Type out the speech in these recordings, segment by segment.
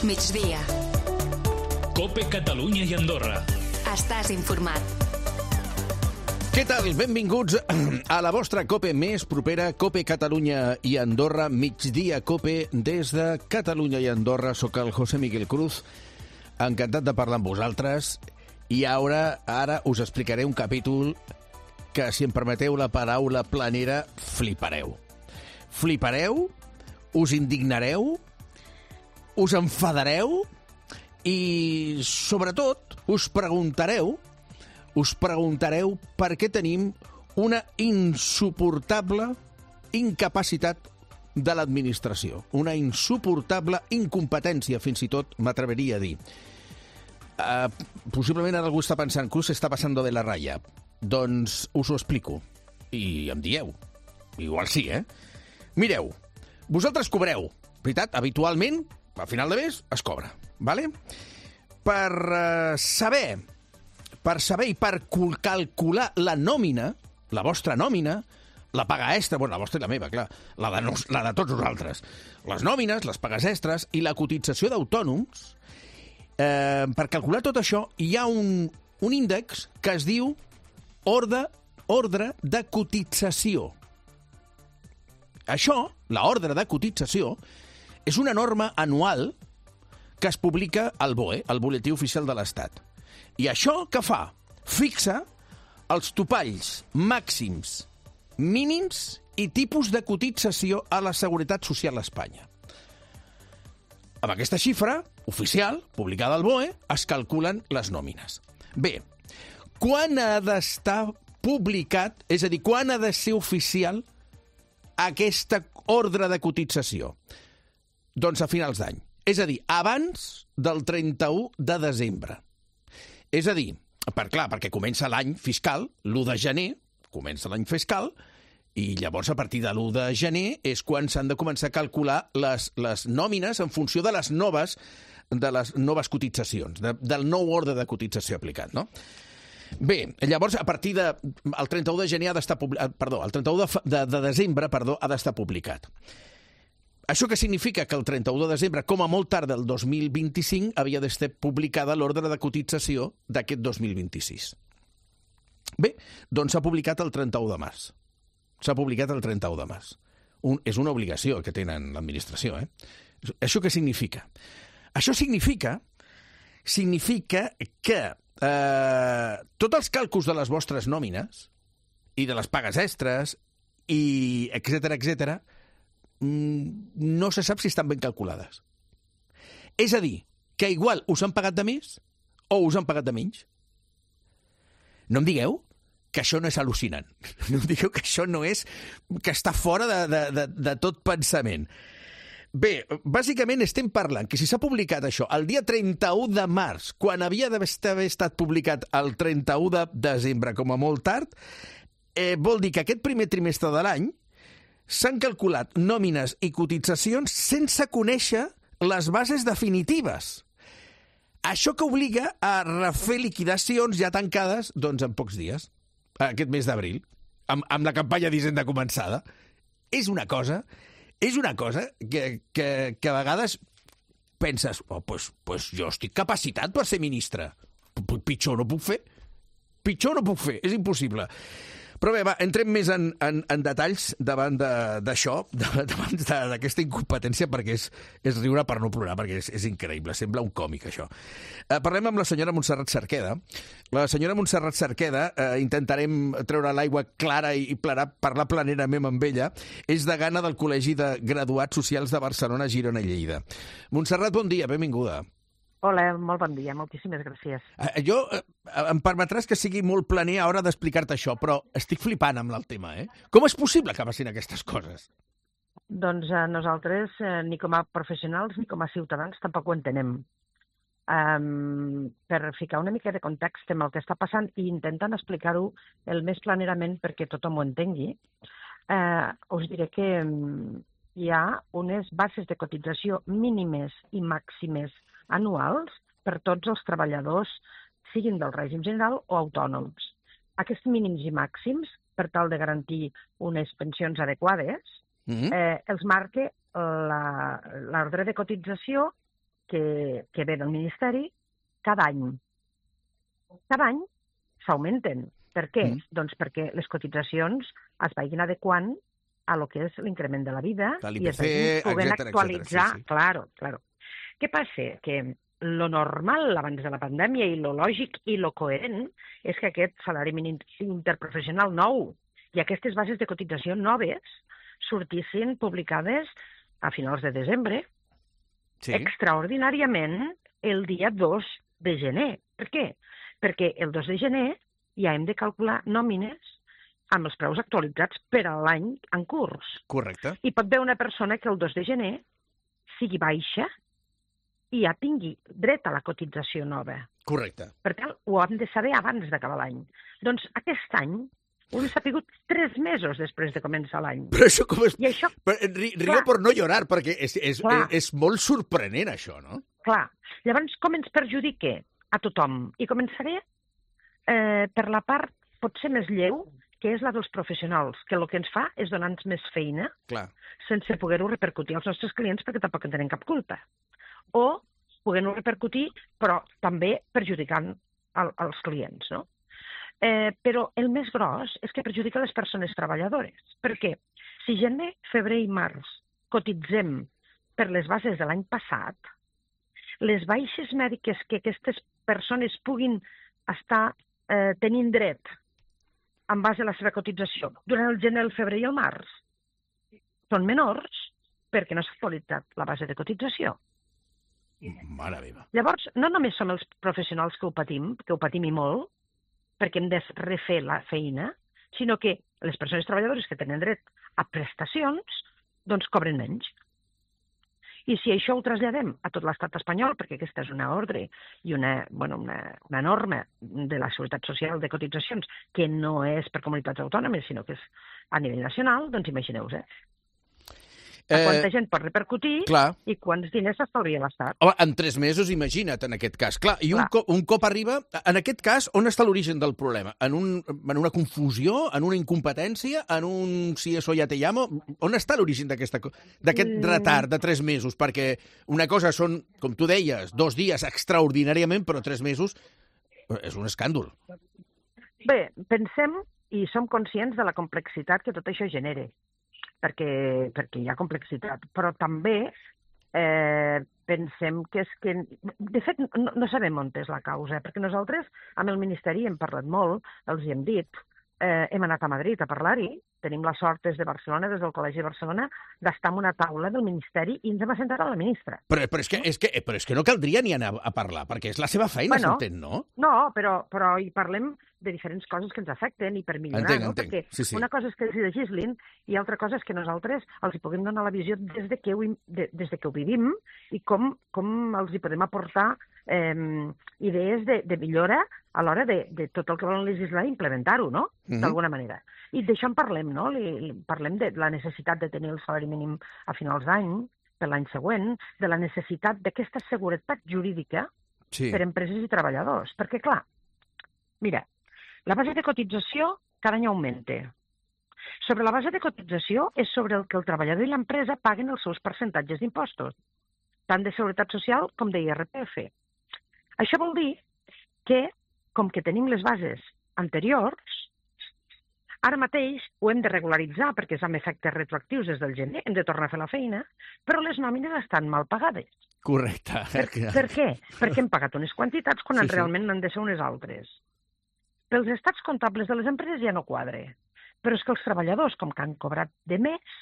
Migdia. COPE Catalunya i Andorra. Estàs informat. Què tal? Benvinguts a la vostra COPE més propera, COPE Catalunya i Andorra, Migdia COPE des de Catalunya i Andorra. Soc el José Miguel Cruz, encantat de parlar amb vosaltres, i ara us explicaré un capítol que, si em permeteu la paraula planera, flipareu. Flipareu, us indignareu, us enfadareu i, sobretot, us preguntareu per què tenim una insuportable incapacitat de l'administració, una insuportable incompetència, fins i tot m'atreveria a dir. Possiblement ara algú està pensant que s'està passando de la raya. Doncs us ho explico. I em dieu. Igual sí, Mireu, vosaltres cobreu, veritat? Habitualment, a final de mes, es cobra, ¿vale? Per saber i per calcular la nòmina, la vostra nòmina, la paga extra, bueno, la vostra i la meva, clar, la de tots nosaltres, les nòmines, les pagues extres i la cotització d'autònoms, per calcular tot això hi ha un índex que es diu ordre de cotització. Això, l'ordre de cotització, és una norma anual que es publica al BOE, al Boletí Oficial de l'Estat. I això què fa? Fixa els topalls màxims, mínims i tipus de cotització a la Seguretat Social a Espanya. Amb aquesta xifra oficial, publicada al BOE, es calculen les nòmines. Bé, quan ha d'estar publicat, és a dir, quan ha de ser oficial aquesta ordre de cotització? Doncs a finals d'any. És a dir, abans del 31 de desembre. És a dir, perquè comença l'any fiscal, l'1 de gener, comença l'any fiscal, i llavors a partir de l'1 de gener és quan s'han de començar a calcular les nòmines en funció de les noves cotitzacions, del nou ordre de cotització aplicat, no? Bé, llavors, a partir del 31 de gener el 31 de desembre ha d'estar publicat. Això què significa? Que el 31 de desembre, com a molt tard del 2025, havia d'estar publicada l'ordre de cotització d'aquest 2026. Bé, doncs s'ha publicat el 31 de març. S'ha publicat el 31 de març. És una obligació que tenen l'administració, Això què significa? Això significa que tots els càlculs de les vostres nòmines i de les pagues extres i etcètera, no se sap si estan ben calculades. És a dir, que igual us han pagat de més o us han pagat de menys. No em digueu que això no és al·lucinant. No em digueu que això no és... que està fora de tot pensament. Bé, bàsicament estem parlant que si s'ha publicat això el dia 31 de març, quan havia d'haver estat publicat el 31 de desembre, com a molt tard, vol dir que aquest primer trimestre de l'any s'han calculat nòmines i cotitzacions sense conèixer les bases definitives. Això que obliga a refer liquidacions ja tancades, doncs, en pocs dies, aquest mes d'abril, amb la campanya d'Hisenda començada. És una cosa que a vegades penses, pues jo estic capacitat per ser ministre. Pitjor no puc fer, és impossible. Però bé, va, entrem més en detalls davant d'això, davant d'aquesta incompetència, perquè és riure per no plorar, perquè és increïble, sembla un còmic, això. Parlem amb la senyora Montserrat Cerqueda. La senyora Montserrat Cerqueda, intentarem treure l'aigua clara i parlar planerament amb ella, és degana del Col·legi de Graduats Socials de Barcelona, Girona i Lleida. Montserrat, bon dia, benvinguda. Hola, molt bon dia, moltíssimes gràcies. Em permetràs que sigui molt planer a l'hora d'explicar-te això, però estic flipant amb el tema, Com és possible que passin aquestes coses? Doncs nosaltres, ni com a professionals ni com a ciutadans, tampoc ho entenem. Per ficar una mica de context en el que està passant i intentant explicar-ho el més planerament perquè tothom ho entengui, us diré que hi ha unes bases de cotització mínimes i màximes anuals per tots els treballadors, siguin del règim general o autònoms. Aquests mínims i màxims, per tal de garantir unes pensions adequades, els marca l'ordre de cotització que ve del Ministeri cada any. Cada any s'augmenten. Per què? Doncs perquè les cotitzacions es vagin adequant a lo que és l'increment de la vida i es vagin podent actualitzar. Sí. Claro. Què passa? Que lo normal abans de la pandèmia i lo lògic i lo coherent és que aquest salari mínim interprofessional nou i aquestes bases de cotització noves sortissin publicades a finals de desembre, extraordinàriament el dia 2 de gener. Per què? Perquè el 2 de gener ja hem de calcular nòmines amb els preus actualitzats per a l'any en curs. Correcte. I pot haver una persona que el 2 de gener sigui baixa i ja tingui dret a la cotització nova. Correcte. Per tant, ho hem de saber abans d'acabar l'any. Doncs aquest any ho hem sabut 3 mesos després de començar l'any. Però això com és... I això... Rio per no llorar, perquè és molt sorprenent, això, no? Clar. Llavors, com ens perjudica a tothom? I començaré per la part potser més lleu, que és la dels professionals, que el que ens fa és donar-nos més feina sense poder-ho repercutir als nostres clients perquè tampoc en tenen cap culpa. O poder-ho repercutir, però també perjudicant els clients, no? Però el més gros és que perjudica les persones treballadores. Per què? Si gener, febrer i març cotitzem per les bases de l'any passat, les baixes mèdiques que aquestes persones puguin estar tenint dret en base a la seva cotització durant el gener, el febrer i el març són menors perquè no s'ha actualitzat la base de cotització. Mare meva. Llavors, no només som els professionals que ho patim i molt, perquè hem de refer la feina, sinó que les persones treballadores que tenen dret a prestacions, doncs cobren menys. I si això ho traslladem a tot l'estat espanyol, perquè aquesta és una ordre i una norma de la Seguretat Social de cotitzacions que no és per comunitats autònomes, sinó que és a nivell nacional, doncs imagineu-vos, quanta gent pot repercutir i quants diners s'estalvia l'Estat. Home, en 3 mesos, imagina't, en aquest cas. Clar, i un cop arriba... En aquest cas, on està l'origen del problema? En una confusió? En una incompetència? En un si eso ya te llamo? On està l'origen d'aquest retard de 3 mesos? Perquè una cosa són, com tu deies, 2 dies extraordinàriament, però 3 mesos és un escàndol. Bé, pensem i som conscients de la complexitat que tot això genera. Perquè hi ha complexitat, però també pensem que és que... De fet, no sabem on és la causa, perquè nosaltres amb el Ministeri hem parlat molt, els hi hem dit, hem anat a Madrid a parlar-hi, tenim la sort des de Barcelona, des del Col·legi de Barcelona, d'estar en una taula del Ministeri i ens hem assentat a la ministra. Però és que no caldria ni anar a parlar, perquè és la seva feina, s'entén, no? No, però hi parlem de diferents coses que ens afecten i per millorar, no? Perquè una cosa és que els hi legislin i altra cosa és que nosaltres els hi puguem donar la visió des de que ho vivim i com els hi podem aportar idees de millora a l'hora de tot el que volen legislar i implementar-ho, no? D'alguna manera. I d'això en parlem, no? Parlem de la necessitat de tenir el salari mínim a finals d'any, per l'any següent, de la necessitat d'aquesta seguretat jurídica per a empreses i treballadors. Perquè, clar, mira, la base de cotització cada any augmenta. Sobre la base de cotització és sobre el que el treballador i l'empresa paguen els seus percentatges d'impostos, tant de Seguretat Social com d'IRPF. Això vol dir que, com que tenim les bases anteriors, ara mateix ho hem de regularitzar perquè és amb efectes retroactius des del gener, hem de tornar a fer la feina, però les nòmines estan mal pagades. Correcte. Per què? Perquè hem pagat unes quantitats quan realment n'han de ser unes altres. Pels estats comptables de les empreses ja no quadre, però és que els treballadors, com que han cobrat de més,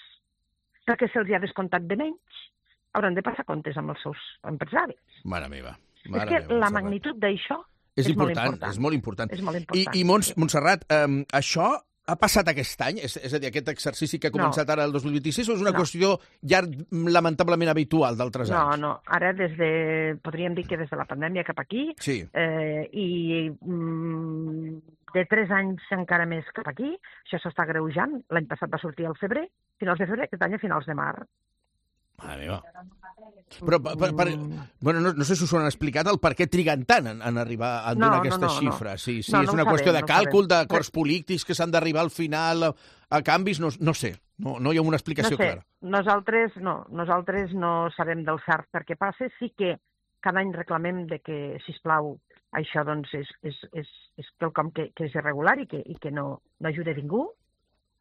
perquè se'ls ha descomptat de menys, hauran de passar comptes amb els seus empresaris. Mare meva. És que la magnitud d'això és molt important. És molt important. És molt important. I Montserrat, això ha passat aquest any? És a dir, aquest exercici que ha començat ara el 2026 o és una qüestió ja lamentablement habitual d'altres anys? No. Ara, podríem dir que des de la pandèmia cap aquí, i de 3 anys encara més cap aquí, això s'està agreujant. L'any passat va sortir al febrer, finals de febrer, aquest any a finals de març. Mare meva. Però, no sé si us ho han explicat el per què triguen tant en arribar a donar aquestes xifres. Sí, és una qüestió de càlcul, d'acords polítics que s'han d'arribar al final a canvis, no sé. No hi ha una explicació clara. Nosaltres no sabem del cert per què passa. Sí que cada any reclamem de que, sisplau, això doncs, és quelcom que és irregular i que no ajuda a ningú,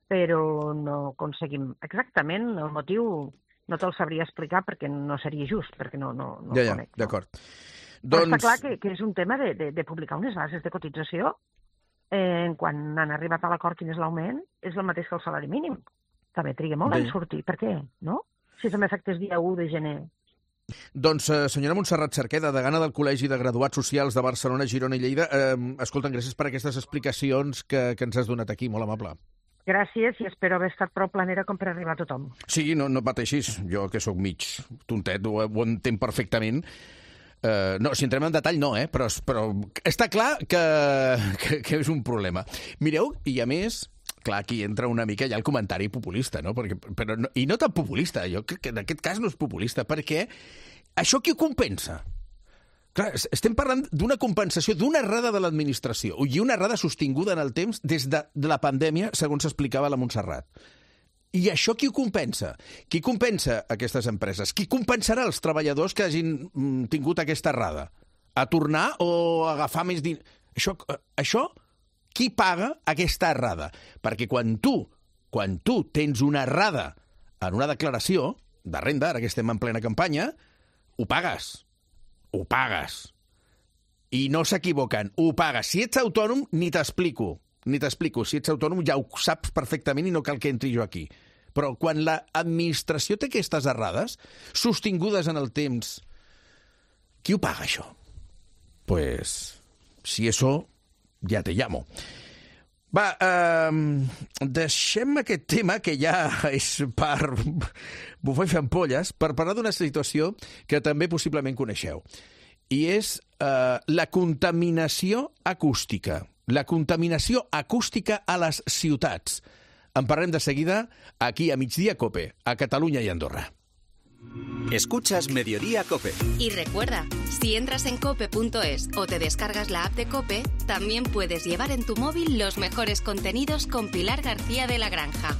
però no aconseguim exactament el motiu. No te'l sabria explicar perquè no seria just, perquè no el conec. D'acord. Però està clar que és un tema de publicar unes bases de cotització quan han arribat a l'acord quin és l'augment, és el mateix que el salari mínim. També triga molt en sortir. Per què? No? Si és amb efectes dia 1 de gener. Doncs, senyora Montserrat Cerqueda, degana del Col·legi de Graduats Socials de Barcelona, Girona i Lleida, escolta, gràcies per aquestes explicacions que ens has donat aquí, molt amable. Gràcies i espero haver estat prou planera com per arribar a tothom. Sí, no pateixis. Jo, que sóc mig tontet, ho entenc perfectament. No, si entrem en detall no, però està clar que és un problema. Mireu, i a més, clar, aquí entra una mica ja el comentari populista, no? I no tan populista, jo crec que en aquest cas no és populista, perquè això qui ho compensa? Clar, estem parlant d'una compensació d'una errada de l'administració i una errada sostinguda en el temps des de la pandèmia, segons s'explicava la Montserrat. I això qui ho compensa? Qui compensa aquestes empreses? Qui compensarà els treballadors que hagin tingut aquesta errada? A tornar o a agafar més diners? Això, qui paga aquesta errada? Perquè quan tu tens una errada en una declaració de renda, ara que estem en plena campanya, ho pagues. Ho pagues. I no s'equivoquen, ho pagues. Si ets autònom, ni t'explico. Si ets autònom ja ho saps perfectament i no cal que entri jo aquí. Però quan l'administració té aquestes errades, sostingudes en el temps, qui ho paga, això? Pues, si eso, ja te llamo. Va, deixem aquest tema, que ja és per bufar i fer ampolles, per parlar d'una situació que també possiblement coneixeu. I és la contaminació acústica. La contaminació acústica a les ciutats. En parlem de seguida aquí a Migdia Cope, a Catalunya i Andorra. Escuchas Mediodía Cope. Y recuerda, si entras en cope.es o te descargas la app de Cope, también puedes llevar en tu móvil los mejores contenidos con Pilar García de la Granja.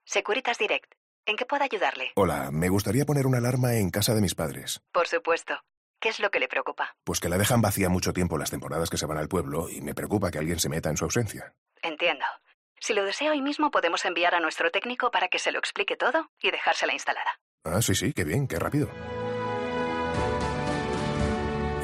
Securitas Direct. ¿En qué puedo ayudarle? Hola, me gustaría poner una alarma en casa de mis padres. Por supuesto. ¿Qué es lo que le preocupa? Pues que la dejan vacía mucho tiempo las temporadas que se van al pueblo y me preocupa que alguien se meta en su ausencia. Entiendo. Si lo desea hoy mismo, podemos enviar a nuestro técnico para que se lo explique todo y dejársela instalada. Ah, sí, qué bien, qué rápido.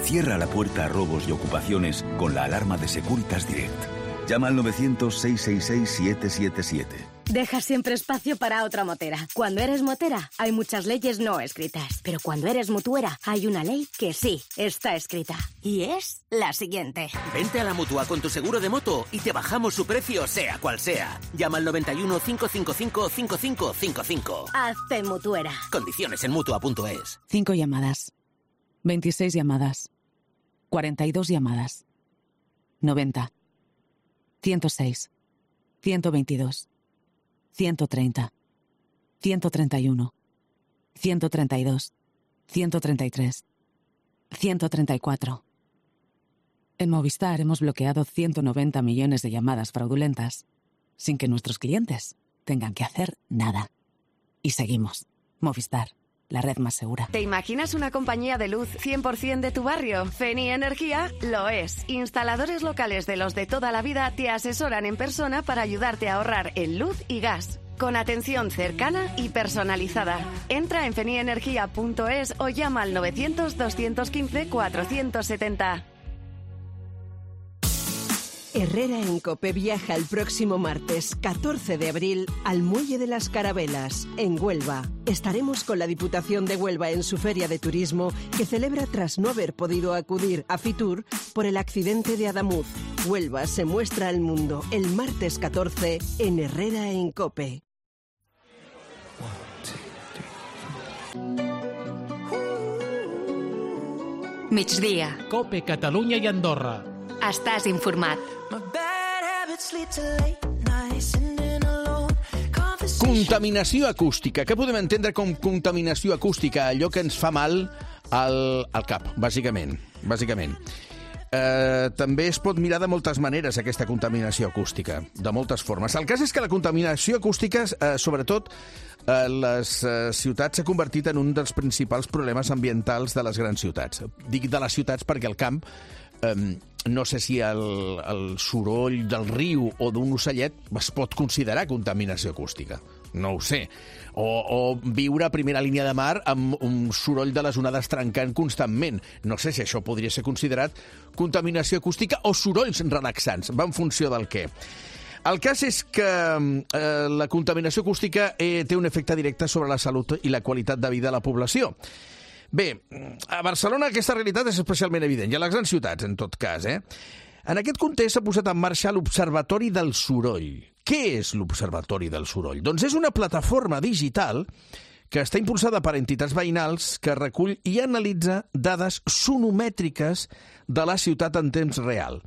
Cierra la puerta a robos y ocupaciones con la alarma de Securitas Direct. Llama al 900-666-777. Deja siempre espacio para otra motera. Cuando eres motera, hay muchas leyes no escritas. Pero cuando eres mutuera, hay una ley que sí está escrita. Y es la siguiente. Vente a la Mutua con tu seguro de moto y te bajamos su precio, sea cual sea. Llama al 91 555 5555. Hazte mutuera. Condiciones en Mutua.es. 5 llamadas. 26 llamadas. 42 llamadas. 90. 106. 122. 130, 131, 132, 133, 134. En Movistar hemos bloqueado 190 millones de llamadas fraudulentas sin que nuestros clientes tengan que hacer nada. Y seguimos. Movistar, la red más segura. ¿Te imaginas una compañía de luz 100% de tu barrio? Feni Energía lo es. Instaladores locales de los de toda la vida te asesoran en persona para ayudarte a ahorrar en luz y gas. Con atención cercana y personalizada. Entra en fenienergia.es o llama al 900-215-470. Herrera en Cope viaja el próximo martes 14 de abril al Muelle de las Carabelas, en Huelva. Estaremos con la Diputación de Huelva en su feria de turismo que celebra tras no haber podido acudir a Fitur por el accidente de Adamuz. Huelva se muestra al mundo el martes 14 en Herrera en Cope. Migdia. Cope, Catalunya i Andorra. Estàs informat. Contaminació acústica. Què podem entendre com contaminació acústica? Allò que ens fa mal al cap, bàsicament. també es pot mirar de moltes maneres aquesta contaminació acústica, de moltes formes. El cas és que la contaminació acústica, sobretot a les ciutats, s'ha convertit en un dels principals problemes ambientals de les grans ciutats. Dic de les ciutats perquè el camp, no sé si el soroll del riu o d'un ocellet es pot considerar contaminació acústica. No ho sé. O viure a primera línia de mar amb un soroll de les onades trencant constantment. No sé si això podria ser considerat contaminació acústica o sorolls relaxants. Va en funció del què. El cas és que la contaminació acústica té un efecte directe sobre la salut i la qualitat de vida de la població. Bé, a Barcelona aquesta realitat és especialment evident, i a les grans ciutats, en tot cas. En aquest context s'ha posat en marxa l'Observatori del Soroll. Què és l'Observatori del Soroll? Doncs és una plataforma digital que està impulsada per entitats veïnals que recull i analitza dades sonomètriques de la ciutat en temps real.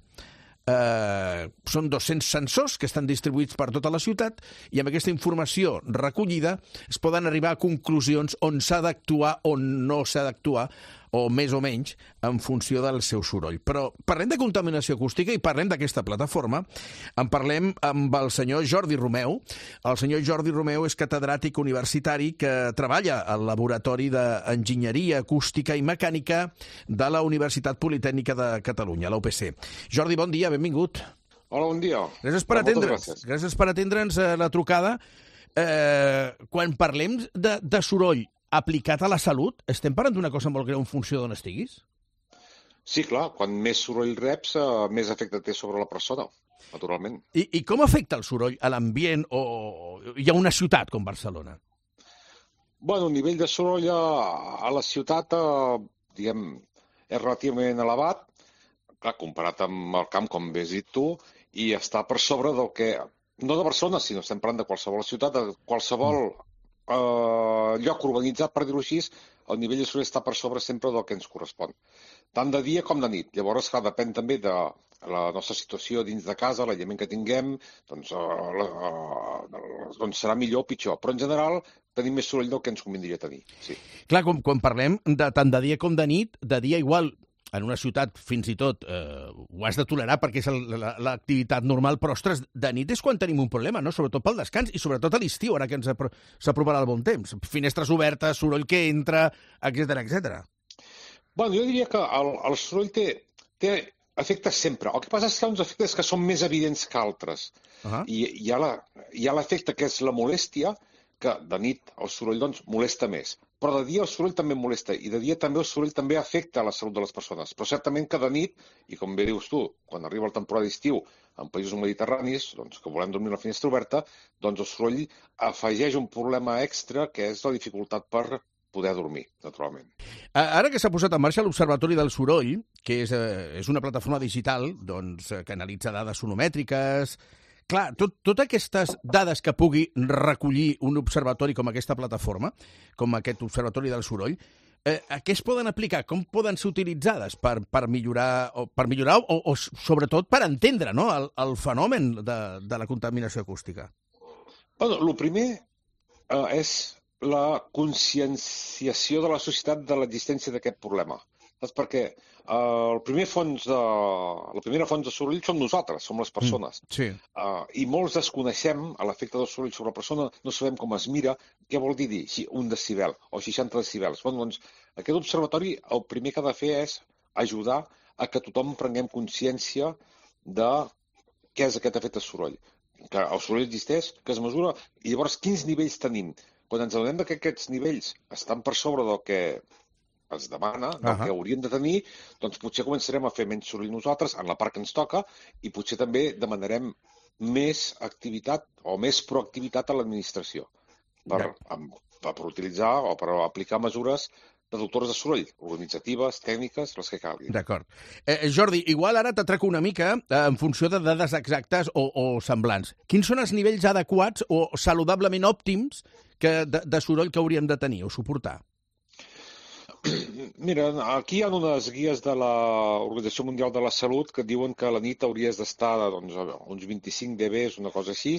Són 200 sensors que estan distribuïts per tota la ciutat i amb aquesta informació recollida es poden arribar a conclusions on s'ha d'actuar o no s'ha d'actuar, o més o menys, en funció del seu soroll. Però parlem de contaminació acústica i parlem d'aquesta plataforma. En parlem amb el senyor Jordi Romeu. El senyor Jordi Romeu és catedràtic universitari que treballa al Laboratori d'Enginyeria Acústica i Mecànica de la Universitat Politècnica de Catalunya, la UPC. Jordi, bon dia, benvingut. Hola, bon dia. Gràcies per atendre'ns. Gràcies per atendre'ns la trucada. Quan parlem de soroll aplicat a la salut, estem parlant d'una cosa molt greu en funció d'on estiguis? Sí, clar. Quan més soroll reps, més efecte té sobre la persona, naturalment. I com afecta el soroll a l'ambient o hi ha una ciutat com Barcelona? Bueno, el nivell de soroll a la ciutat, diguem, és relativament elevat, clar, comparat amb el camp, com bé has dit tu, i està per sobre del que, no de Barcelona, sinó estem parlant de qualsevol ciutat, de qualsevol lloc urbanitzat, per dir-ho així, el nivell de soroll està per sobre sempre del que ens correspon. Tant de dia com de nit. Llavors, clar, depèn també de la nostra situació dins de casa, l'aïllament que tinguem, doncs serà millor o pitjor. Però, en general, tenim més soroll del que ens convindria tenir. Sí. Clar, quan parlem de tant de dia com de nit, de dia igual, en una ciutat fins i tot ho has de tolerar perquè és l'activitat normal, però, ostres, de nit és quan tenim un problema, no? Sobretot pel descans i sobretot a l'estiu, ara que s'aproparà el bon temps. Finestres obertes, soroll que entra, etc. Bueno, jo diria que el soroll té efectes sempre. El que passa és que hi ha uns efectes que són més evidents que altres. I hi ha l'efecte que és la molèstia, que de nit el soroll doncs molesta més. Però de dia el soroll també molesta i de dia també el soroll també afecta la salut de les persones. Però certament que de nit, i com bé dius tu, quan arriba la temporada d'estiu en països mediterranis, doncs, que volem dormir la finestra oberta, doncs el soroll afegeix un problema extra que és la dificultat per poder dormir, naturalment. Ara que s'ha posat en marxa l'Observatori del Soroll, que és una plataforma digital doncs, que analitza dades sonomètriques. Clar, totes aquestes dades que pugui recollir un observatori com aquesta plataforma, com aquest Observatori del Soroll, a què es poden aplicar? Com poden ser utilitzades per millorar o sobretot per entendre, no, el fenomen de la contaminació acústica? Bueno, el primer és la conscienciació de la societat de l'existència d'aquest problema. Saps? Perquè la primera font de soroll som nosaltres, som les persones. Sí. I molts desconeixem l'efecte del soroll sobre la persona, no sabem com es mira, què vol dir un decibel o 60 decibels. Bueno, doncs, aquest observatori el primer que ha de fer és ajudar a que tothom prenguem consciència de què és aquest efecte soroll. Que el soroll existeix, que es mesura, i llavors quins nivells tenim. Quan ens adonem que aquests nivells estan per sobre del que es demana, del que hauríem de tenir, doncs potser començarem a fer menys soroll nosaltres en la part que ens toca i potser també demanarem més activitat o més proactivitat a l'administració per utilitzar o per aplicar mesures reductores de soroll, organitzatives, tècniques, les que calguin. D'acord. Jordi, igual ara t'atraco una mica en funció de dades exactes o semblants. Quins són els nivells adequats o saludablement òptims de soroll que hauríem de tenir o suportar? Mira, aquí hi ha unes guies de l'Organització Mundial de la Salut que diuen que a la nit hauries d'estar doncs, uns 25 dB, una cosa així,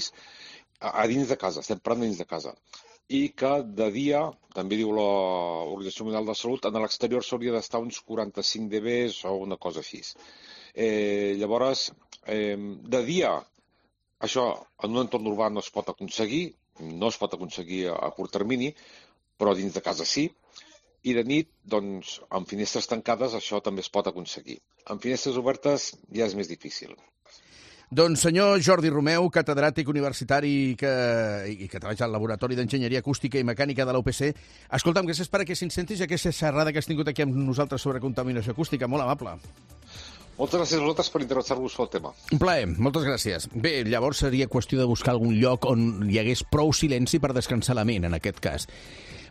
a dins de casa, estem parlant dins de casa. I que de dia, també diu l'Organització Mundial de la Salut, en l'exterior s'hauria d'estar uns 45 dB o una cosa així. Llavors, de dia, això en un entorn urbà no es pot aconseguir a curt termini, però dins de casa sí. I de nit, doncs, amb finestres tancades, això també es pot aconseguir. Amb finestres obertes ja és més difícil. Doncs senyor Jordi Romeu, catedràtic universitari i que treballa al Laboratori d'Enginyeria Acústica i Mecànica de la UPC. Escolta'm, gràcies per aquest incentis i aquesta xerrada que has tingut aquí amb nosaltres sobre contaminació acústica. Molt amable. Moltes gràcies a vosaltres per interessar-vos pel tema. Un plaer, moltes gràcies. Bé, llavors seria qüestió de buscar algun lloc on hi hagués prou silenci per descansar la ment, en aquest cas.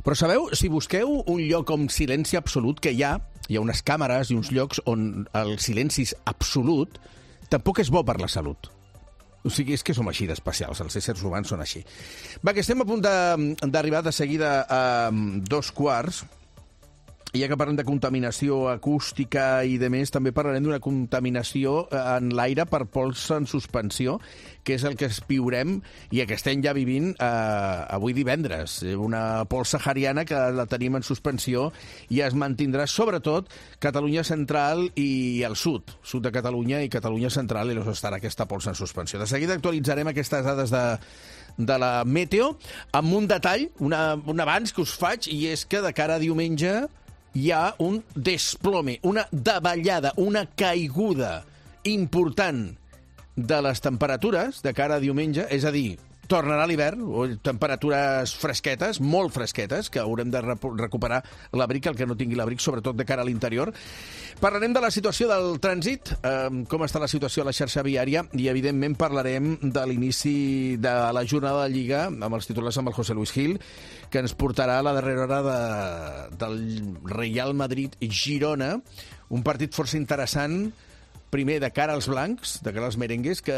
Però sabeu, si busqueu un lloc amb silenci absolut, que hi ha unes càmeres i uns llocs on el silenci és absolut, tampoc és bo per la salut. O sigui, és que som així d'especials, els éssers humans són així. Va, que estem a punt d'arribar de seguida a 2:15, i ja que parlem de contaminació acústica i de més, també parlarem d'una contaminació en l'aire per pols en suspensió, que és el que viurem i que estem ja vivint avui divendres. Una pols sahariana que la tenim en suspensió i es mantindrà sobretot Catalunya central i el sud de Catalunya i Catalunya central, i estarà aquesta pols en suspensió. De seguida actualitzarem aquestes dades de la meteo amb un detall, un avanç que us faig, i és que de cara a diumenge hi ha un desplome, una davallada, una caiguda important de les temperatures de cara a diumenge, és a dir, tornarà l'hivern, temperatures fresquetes, molt fresquetes, que haurem de recuperar l'abric, el que no tingui l'abric, sobretot de cara a l'interior. Parlarem de la situació del trànsit, com està la situació a la xarxa viària, i evidentment parlarem de l'inici de la jornada de Lliga, amb els titulars amb el José Luis Gil, que ens portarà a la darrera hora del Real Madrid-Girona, un partit força interessant, primer de cara als blancs, de cara als merengues, que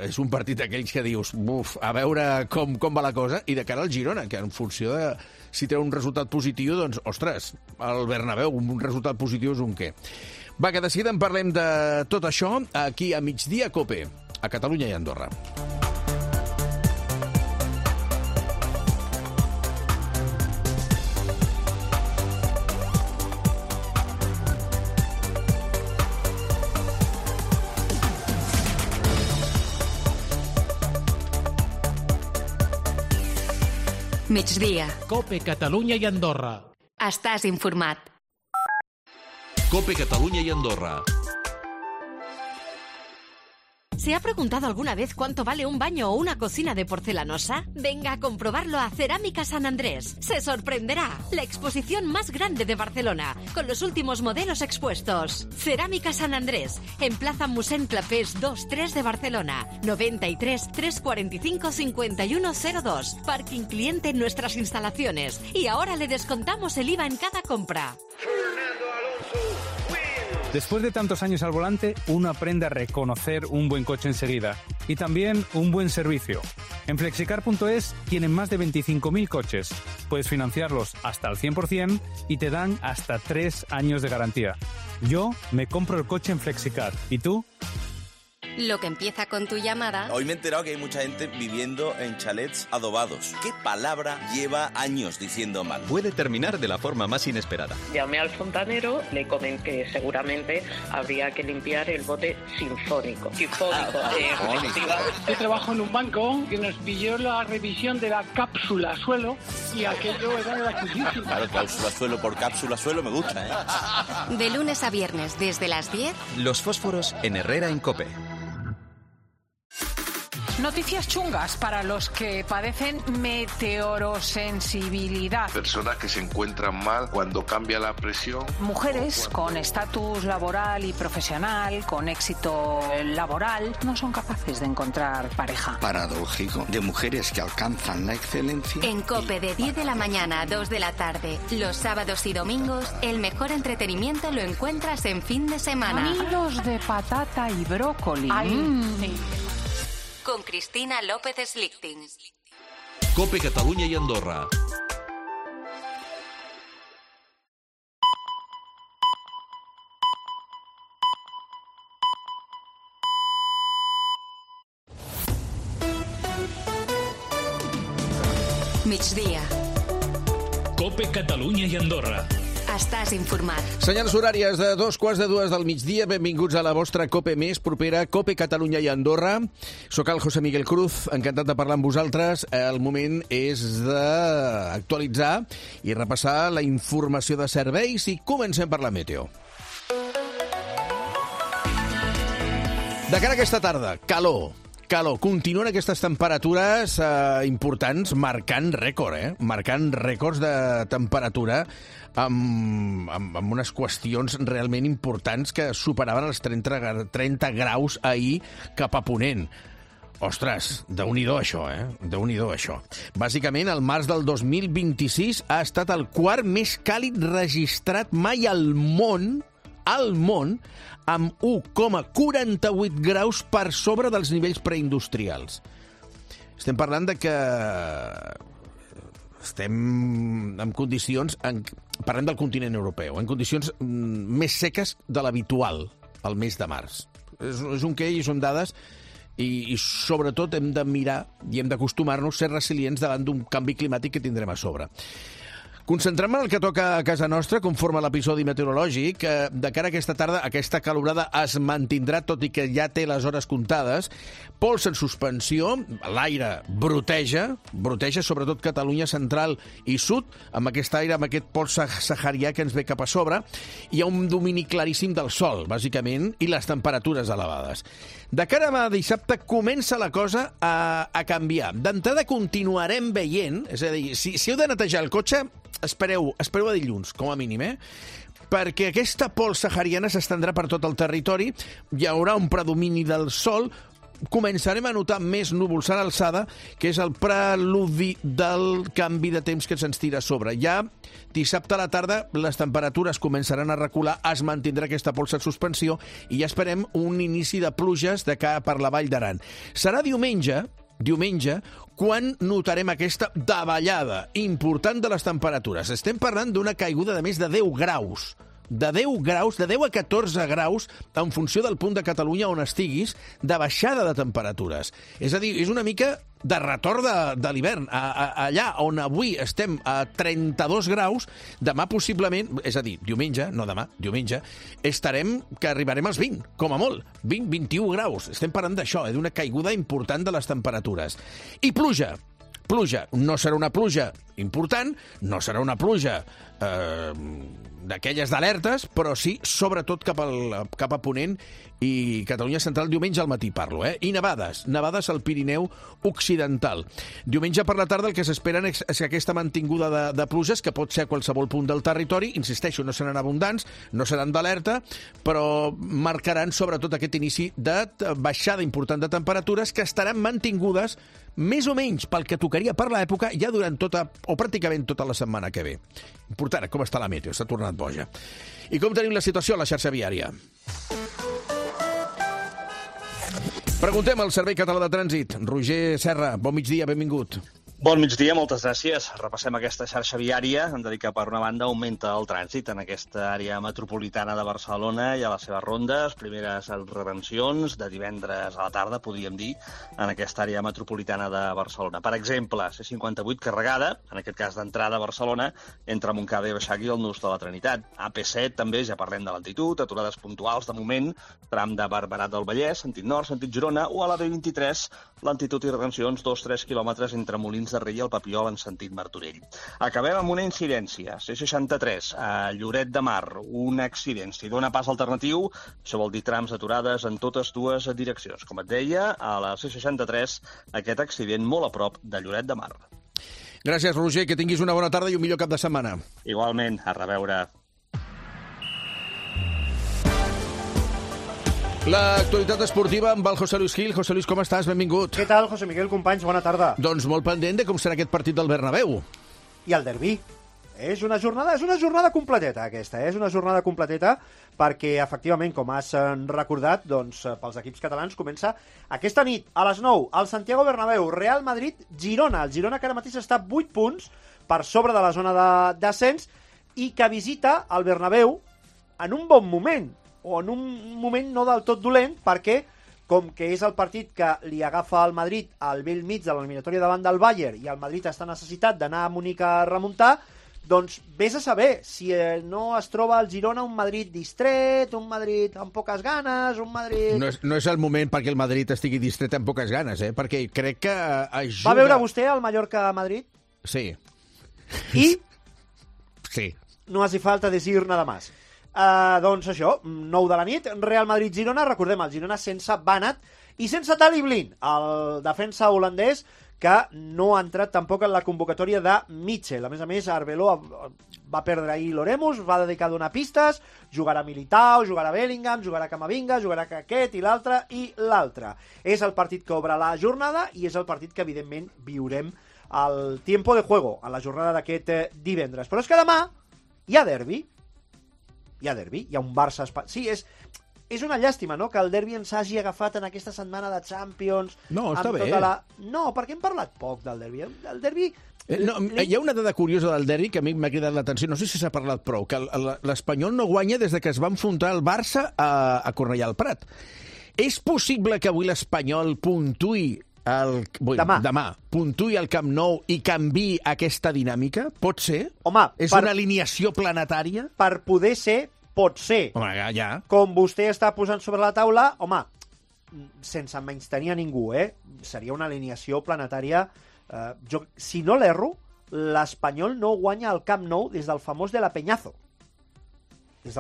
és un partit d'aquells que dius, buf, a veure com va la cosa, i de cara al Girona, que en funció de si treu un resultat positiu, doncs, ostres, al Bernabéu, un resultat positiu és un què. Va, que de seguida en parlem de tot això aquí a Migdia Cope, a Catalunya i Andorra. Migdia. Cope, Catalunya i Andorra. Estàs informat. Cope, Catalunya y Andorra. ¿Se ha preguntado alguna vez cuánto vale un baño o una cocina de porcelanosa? Venga a comprobarlo a Cerámica San Andrés. Se sorprenderá. La exposición más grande de Barcelona, con los últimos modelos expuestos. Cerámica San Andrés, en Plaza Mossèn Clapés 2-3 de Barcelona. 93 345 5102. Parking cliente en nuestras instalaciones. Y ahora le descontamos el IVA en cada compra. Después de tantos años al volante, uno aprende a reconocer un buen coche enseguida y también un buen servicio. En Flexicar.es tienen más de 25.000 coches. Puedes financiarlos hasta al 100% y te dan hasta 3 años de garantía. Yo me compro el coche en Flexicar. ¿Y tú? Lo que empieza con tu llamada... Hoy me he enterado que hay mucha gente viviendo en chalets adobados. ¿Qué palabra lleva años diciendo mal? Puede terminar de la forma más inesperada. Llamé al fontanero, le comenté que seguramente habría que limpiar el bote sinfónico. Yo trabajo en un banco que nos pilló la revisión de la cápsula suelo y aquello era gratuísimo. Claro, cápsula suelo por cápsula suelo me gusta, ¿eh? De lunes a viernes, desde las 10... Los fósforos en Herrera en COPE. Noticias chungas para los que padecen meteorosensibilidad. Personas que se encuentran mal cuando cambia la presión. Mujeres con estatus laboral y profesional, con éxito laboral, no son capaces de encontrar pareja. Paradójico, de mujeres que alcanzan la excelencia. En COPE de 10 de la mañana a 2 de la tarde, los sábados y domingos, el mejor entretenimiento lo encuentras en fin de semana. Nidos de patata y brócoli. Sí. Con Cristina López Slichting. Cope, Catalunya y Andorra. Migdia. Cope, Catalunya i Andorra. estàs informat. Senyals horàries de 2:15 del migdia. Benvinguts a la vostra COPE més propera, COPE Catalunya i Andorra. Soc el José Miguel Cruz, encantat de parlar amb vosaltres. El moment és d'actualitzar i repassar la informació de serveis i comencem per la meteo. De cara a aquesta tarda, calor. Continuen aquestes temperatures importants marcant rècord, marcant rècords de temperatura amb unes qüestions realment importants que superaven els 30 graus ahir cap a ponent. Ostres, Déu-n'hi-do això, Déu-n'hi-do això. Bàsicament, el març del 2026 ha estat el quart més càlid registrat mai al món, amb 1,48 graus per sobre dels nivells preindustrials. Estem parlant de que estem en condicions, parlem del continent europeu, en condicions més seques de l'habitual al mes de març. És un què i són dades i sobretot hem de mirar i hem d'acostumar-nos a ser resilients davant d'un canvi climàtic que tindrem a sobre. Concentrem-me en el que toca a casa nostra, conforme a l'episodi meteorològic. De cara a aquesta tarda, aquesta calorada es mantindrà, tot i que ja té les hores comptades. Pols en suspensió, l'aire broteja sobretot Catalunya central i sud, amb aquest aire, amb aquest pols saharià que ens ve cap a sobre. Hi ha un domini claríssim del sol, bàsicament, i les temperatures elevades. De cara a dissabte comença la cosa a canviar. D'entrada continuarem veient, és a dir, si heu de netejar el cotxe, espereu a dilluns, com a mínim, perquè aquesta pols sahariana s'estendrà per tot el territori, hi haurà un predomini del sol, començarem a notar més núvols a l'alçada, que és el preludi del canvi de temps que se'ns tira a sobre. Ja dissabte a la tarda les temperatures començaran a recular, es mantindrà aquesta pols en suspensió i ja esperem un inici de pluges de cara per la Vall d'Aran. Serà diumenge, quan notarem aquesta davallada important de les temperatures. Estem parlant d'una caiguda de més de 10 graus. De 10 a 14 graus, en funció del punt de Catalunya on estiguis, de baixada de temperatures. És a dir, és una mica de retorn de l'hivern. Allà on avui estem a 32 graus, demà possiblement, és a dir, diumenge, estarem que arribarem als 20, com a molt. 20-21 graus. Estem parlant d'això, d'una caiguda important de les temperatures. I pluja. No serà una pluja important, no serà una pluja d'aquelles d'alertes, però sí, sobretot cap a Ponent i Catalunya Central, diumenge al matí parlo, I nevades al Pirineu Occidental. Diumenge per la tarda el que s'esperen és aquesta mantinguda de pluges, que pot ser a qualsevol punt del territori, insisteixo, no seran abundants, no seran d'alerta, però marcaran sobretot aquest inici de baixada important de temperatures que estaran mantingudes més o menys pel que tocaria per l'època ja durant pràcticament tota la setmana que ve. Important, com està la meteo? S'ha tornat boja. I com tenim la situació a la xarxa viària? Preguntem al Servei Català de Trànsit. Roger Serra, bon migdia, benvingut. Bon migdia, moltes gràcies. Repassem aquesta xarxa viària. Hem de dir que, per una banda, augmenta el trànsit en aquesta àrea metropolitana de Barcelona i a les seves rondes. Primeres retencions de divendres a la tarda, podríem dir, en aquesta àrea metropolitana de Barcelona. Per exemple, C58 carregada, en aquest cas d'entrada a Barcelona, entre Montcada i Reixac i el Nus de la Trinitat. AP7 també, ja parlem de lentitud, aturades puntuals de moment, tram de Barberà del Vallès, sentit nord, sentit Girona, o a la B23, lentitud i retencions 2-3 quilòmetres entre Molins de Rei i el Papiol en sentit Martorell. Acabem amb una incidència. C63, a Lloret de Mar, un accident. Si dona pas alternatiu, això vol dir trams aturades en totes dues direccions. Com et deia, a la C63, aquest accident molt a prop de Lloret de Mar. Gràcies, Roger, que tinguis una bona tarda i un millor cap de setmana. Igualment, a reveure. L'actualitat esportiva amb el José Luis Gil. José Luis, com estàs? Benvingut. Què tal, José Miguel, companys? Bona tarda. Doncs molt pendent de com serà aquest partit del Bernabéu. I el derbi. És una jornada completeta, aquesta. És una jornada completeta perquè, efectivament, com has recordat, doncs, pels equips catalans comença aquesta nit, a les 9, al Santiago Bernabéu, Real Madrid-Girona. El Girona, que ara mateix està a 8 punts per sobre de la zona de descens i que visita el Bernabéu en un bon moment, o en un moment no del tot dolent, perquè com que és el partit que li agafa al Madrid al vell mig de l'eliminatòria davant del Bayern i el Madrid està necessitat d'anar a Múnich a remuntar, Doncs vés a saber si no es troba al Girona un Madrid distret, un Madrid amb poques ganes, un Madrid... No és el moment perquè el Madrid estigui distret amb poques ganes, perquè crec que ajuda... Va veure vostè el Mallorca-Madrid? Sí. I? Sí. No hace falta decir nada más. Doncs això, 9 de la nit, Real Madrid-Girona, recordem, el Girona sense Banat i sense Daley Blind, el defensa holandès, que no ha entrat tampoc en la convocatòria de Mitchell. A més, Arbeloa va perdre ahir l'Oremus, va dedicar a donar pistes, jugarà Militao, jugarà Bellingham, jugarà Camavinga, jugarà aquest i l'altre. És el partit que obre la jornada i és el partit que, evidentment, viurem al tiempo de juego, a la jornada d'aquest divendres. Però és que demà hi ha derbi. Hi ha un Barça... Sí, és una llàstima, no?, que el derbi ens hagi agafat en aquesta setmana de Champions. No, està bé. No, perquè hem parlat poc del derbi. El derbi... Hi ha una dada curiosa del derbi que a mi m'ha cridat l'atenció, no sé si s'ha parlat prou, que l'Espanyol no guanya des que es va enfrontar el Barça a Cornellà al Prat. És possible que avui l'Espanyol puntuï demà puntuï al Camp Nou i canviï aquesta dinàmica? Pot ser? Home, és una alineació planetària? Per poder ser, pot ser. Home, ja. Com vostè està posant sobre la taula, home, sense menystenir a ningú, seria una alineació planetària. Si no l'erro, l'Espanyol no guanya el Camp Nou des del famós de la Peñazo. Des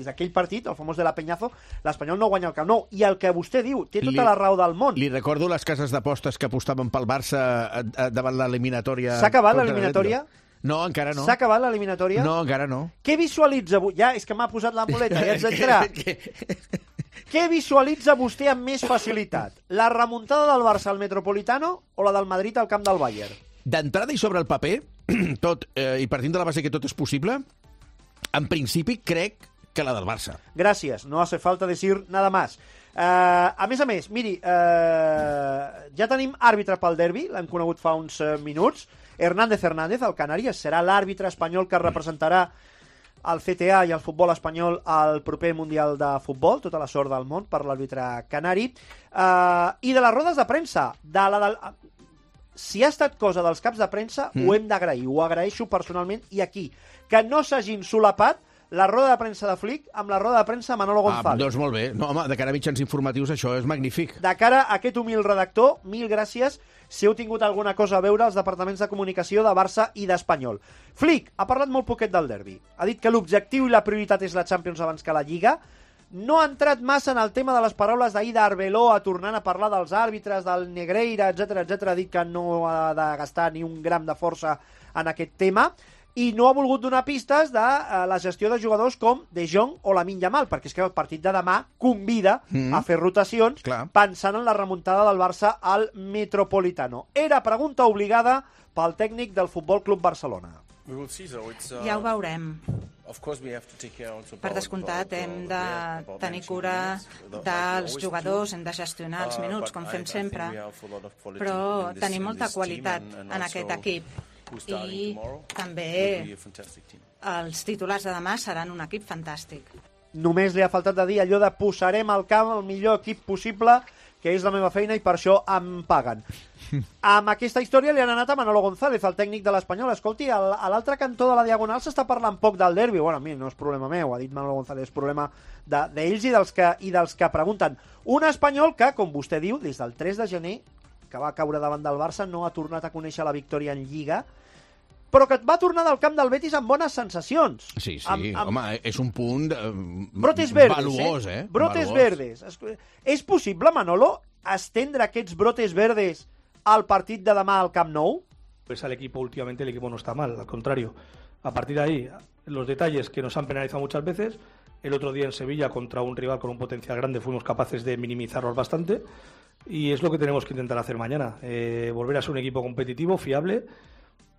d'aquell partit, el famós de la Peñazo, l'Espanyol no guanya el Camp Nou. I el que vostè diu, té tota la raó del món. Li recordo les cases d'apostes que apostaven pel Barça davant l'eliminatòria. S'ha acabat l'eliminatòria? No, encara no. S'ha acabat l'eliminatòria? No, encara no. Què visualitza... Ja, és que m'ha posat la muleta, ja ets d'entrar. Què visualitza vostè amb més facilitat? La remuntada del Barça al Metropolitano o la del Madrid al camp del Bayern? D'entrada i sobre el paper, i partint de la base que tot és possible, en principi crec que la del Barça. Gràcies, no hace falta decir nada más. A més, miri, ja tenim àrbitre pel derbi, l'hem conegut fa uns minuts. Hernández, el canari, serà l'àrbitre espanyol que representarà el CTA i el futbol espanyol al proper Mundial de Futbol. Tota la sort del món per l'àrbitre canari. I de les rodes de premsa, si ha estat cosa dels caps de premsa, ho hem d'agrair, ho agraeixo personalment, i aquí, que no s'hagin solapat la roda de premsa de Flick amb la roda de premsa de Manolo González. Doncs molt bé. No, home, de cara a mitjans informatius això és magnífic. De cara a aquest humil redactor, mil gràcies si heu tingut alguna cosa a veure als departaments de comunicació de Barça i d'Espanyol. Flick ha parlat molt poquet del derbi. Ha dit que l'objectiu i la prioritat és la Champions abans que la Lliga. No ha entrat massa en el tema de les paraules d'ahir d'Arbeloa, tornant a parlar dels àrbitres, del Negreira, etc. Ha dit que no ha de gastar ni un gram de força en aquest tema. I no ha volgut donar pistes de la gestió de jugadors com De Jong o Lamine Yamal, perquè és que el partit de demà convida a fer rotacions pensant en la remuntada del Barça al Metropolitano. Era pregunta obligada pel tècnic del Futbol Club Barcelona. Ja ho veurem. Per descomptat, hem de tenir cura dels jugadors, hem de gestionar els minuts, com fem sempre, però tenim molta qualitat en aquest equip. I també els titulars de demà seran un equip fantàstic. Només li ha faltat de dir allò de posarem al camp el millor equip possible, que és la meva feina i per això em paguen. Amb aquesta història li han anat a Manolo González, el tècnic de l'Espanyol. Escolti, a l'altre cantó de la Diagonal s'està parlant poc del derbi. Bueno, a mi no és problema meu, ha dit Manolo González, és problema d'ells i dels que pregunten. Un Espanyol que, com vostè diu, des del 3 de gener, que va caure davant del Barça, no ha tornat a conèixer la victòria en Lliga, però que va tornar del camp del Betis amb bones sensacions. Sí, home, és un punt brotes verdes, valuós, brotes verdes. És possible, Manolo, estendre aquests brotes verdes al partit de demà al Camp Nou? Pues al equipo últimamente el equipo no está mal, al contrario. A partir de ahí, los detalles que nos han penalizado muchas veces. El otro día en Sevilla, contra un rival con un potencial grande, fuimos capaces de minimizarlos bastante. Y es lo que tenemos que intentar hacer mañana. Volver a ser un equipo competitivo, fiable,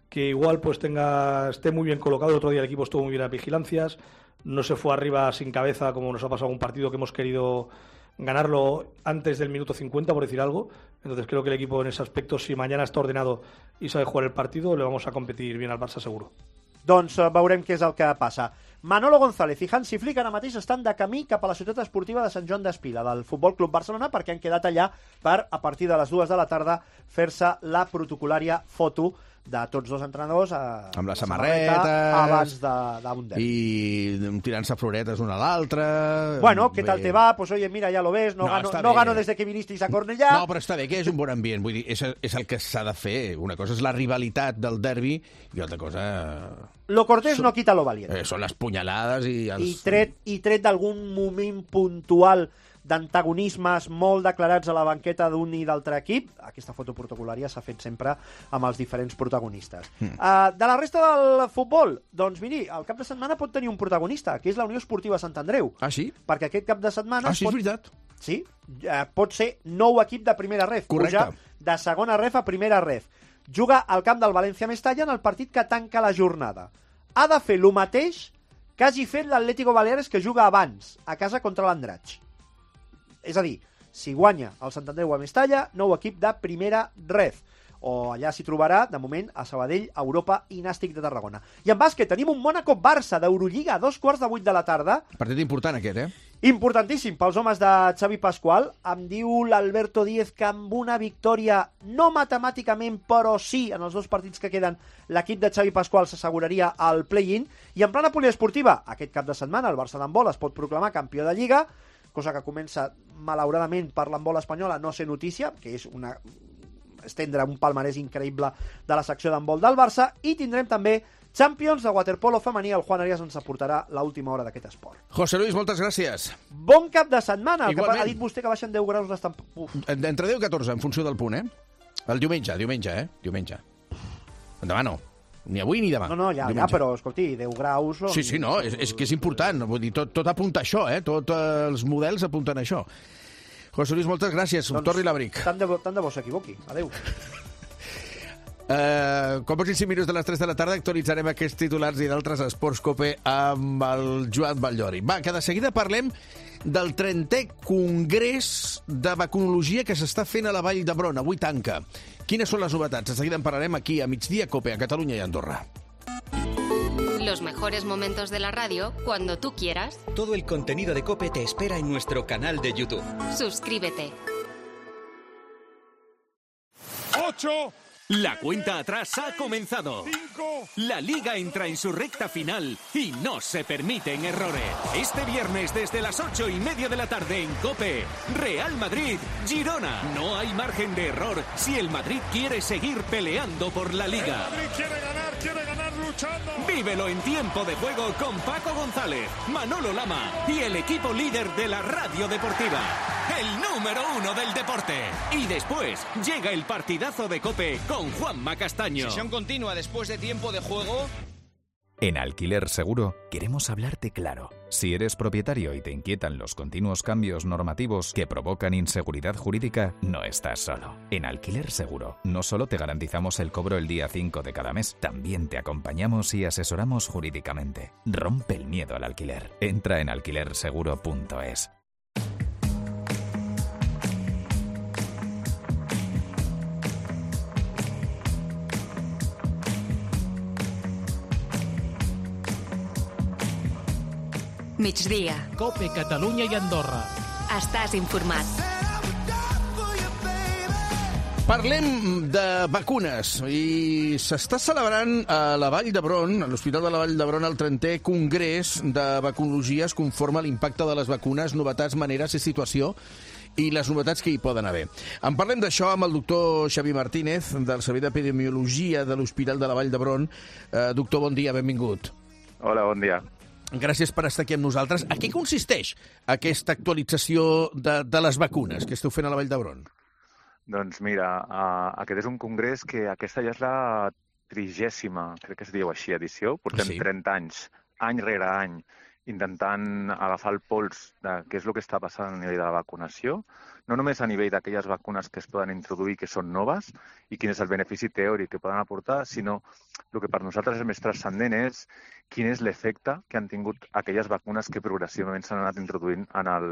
que igual pues esté muy bien colocado. El otro día el equipo estuvo muy bien a vigilancias, no se fue arriba sin cabeza como nos ha pasado un partido que hemos querido ganarlo antes del minuto 50, por decir algo. Entonces creo que el equipo en ese aspecto, si mañana está ordenado y sabe jugar el partido, le vamos a competir bien al Barça seguro. Doncs veurem què és el que passa. Manolo González i Hansi Flick ara mateix estan de camí cap a la ciutat esportiva de Sant Joan d'Espila, del Futbol Club Barcelona, perquè han quedat allà per, a partir de les 2 de la tarda, fer-se la protocolària foto de tots dos entrenadors amb la samarreta abans d'un derbi. I tirant-se floretes un a l'altre. Bueno, ¿qué tal te va? Pues oye, mira, ya lo ves, no gano desde que vinisteis a Cornellà. No, però està bé, que és un bon ambient. Vull dir, és el que s'ha de fer. Una cosa és la rivalitat del derbi i altra cosa... Lo cortés no quita lo valiente. Són les punyalades i els... I tret d'algun moment puntual d'antagonismes molt declarats a la banqueta d'un i d'altre equip, aquesta foto protocolària s'ha fet sempre amb els diferents protagonistes. De la resta del futbol, doncs miri, el cap de setmana pot tenir un protagonista, que és la Unió Esportiva Sant Andreu. Ah, sí? Perquè aquest cap de setmana... Ah, sí, és veritat. Sí, pot ser nou equip de primera ref. Correcte. Pujar de segona ref a primera ref. Juga al camp del València Mestalla en el partit que tanca la jornada. Ha de fer el mateix que hagi fet l'Atlético Baleares, que juga abans, a casa contra l'Andratx. És a dir, si guanya el Sant Andreu a Mestalla, nou equip de primera ref. O allà s'hi trobarà, de moment, a Sabadell, Europa i Nàstic de Tarragona. I en bàsquet tenim un Mónaco-Barça d'Eurolliga a 2:15 de la tarda. Partit important aquest, Importantíssim pels homes de Xavi Pascual. Em diu l'Alberto Díez que amb una victòria, no matemàticament, però sí, en els dos partits que queden, l'equip de Xavi Pascual s'asseguraria al play-in. I en plana poliesportiva, aquest cap de setmana el Barça d'handbol es pot proclamar campió de Lliga, cosa que comença, malauradament, per l'handbol espanyol a no ser notícia, que és estendre un palmarès increïble de la secció d'handbol del Barça, i tindrem també Champions de waterpolo femení. El Juan Arias ens aportarà l'última hora d'aquest esport. José Luis, moltes gràcies. Bon cap de setmana. Igualment. Ha dit vostè que baixen 10 graus les Entre 10 i 14, en funció del punt, El diumenge. Demà no. Ni avui ni demà. No, ja, però, escolti, 10 graus... Sí, no, és que és important. Vull dir, tot apunta a això, Tots els models apunten a això. José Luis, moltes gràcies. Torni l'abric. Tant de bo s'equivoqui. Adéu. Quan passin 5 minuts de les 3 de la tarda actualitzarem aquests titulars i d'altres esports COPE amb el Joan Batllori. Va, que de seguida parlem del 30è Congrés de Vacunologia que s'està fent a la Vall d'Hebron. Avui tanca. Quines són les novetats? De seguida en parlarem aquí a Migdia COPE, a Catalunya i Andorra. Los mejores momentos de la radio cuando tú quieras. Todo el contenido de COPE te espera en nuestro canal de YouTube. Suscríbete. 8. La cuenta atrás ha comenzado. 5. La Liga entra en su recta final y no se permiten errores. Este viernes desde las 8:30 de la tarde en COPE, Real Madrid, Girona. No hay margen de error si el Madrid quiere seguir peleando por la Liga. El Madrid quiere ganar luchando. Vívelo en tiempo de juego con Paco González, Manolo Lama y el equipo líder de la radio deportiva. El número 1 del deporte. Y después llega el partidazo de COPE con Juanma Castaño. Sesión continua después de tiempo de juego. En Alquiler Seguro queremos hablarte claro. Si eres propietario y te inquietan los continuos cambios normativos que provocan inseguridad jurídica, no estás solo. En Alquiler Seguro no solo te garantizamos el cobro el día 5 de cada mes, también te acompañamos y asesoramos jurídicamente. Rompe el miedo al alquiler. Entra en alquilerseguro.es. Migdia. COPE Catalunya i Andorra. Estàs informat. Parlem de vacunes i s'està celebrant a la Vall d'Hebron, a l'Hospital de la Vall d'Hebron, el 30è Congrés de Vacunologia. Es conforma l'impacte de les vacunes, novetats, maneres i situació i les novetats que hi poden haver. En parlem d'això amb el doctor Xavi Martínez, del Servei d'Epidemiologia de l'Hospital de la Vall d'Hebron. Doctor, bon dia, benvingut. Hola, bon dia. Gràcies per estar aquí amb nosaltres. A què consisteix aquesta actualització de les vacunes que esteu fent a la Vall d'Hebron? Doncs mira, aquest és un congrés que aquesta ja és la 30ª, crec que es diu així, edició. Portem 30 anys, any rere any, intentant agafar el pols de què és el que està passant a nivell de la vacunació, no només a nivell d'aquelles vacunes que es poden introduir que són noves i quin és el benefici teòric que poden aportar, sinó el que per nosaltres és més transcendent és quin és l'efecte que han tingut aquelles vacunes que progressivament s'han anat introduint en el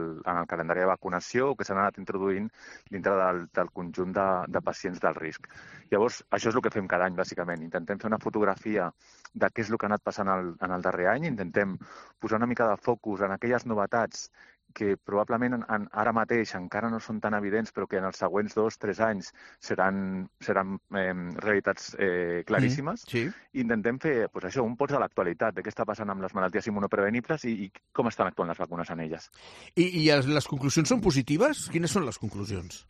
calendari de vacunació o que s'han anat introduint dintre del conjunt de pacients del risc. Llavors, això és el que fem cada any, bàsicament. Intentem fer una fotografia de què és el que ha anat passant en el darrer any, intentem posar una mica de focus en aquelles novetats que probablement ara mateix encara no són tan evidents, però que en els següents 2-3 anys seran realitats claríssimes. Intentem fer això, un pols de l'actualitat, de què està passant amb les malalties immunoprevenibles i com estan actuant les vacunes en elles. I les conclusions són positives? Quines són les conclusions?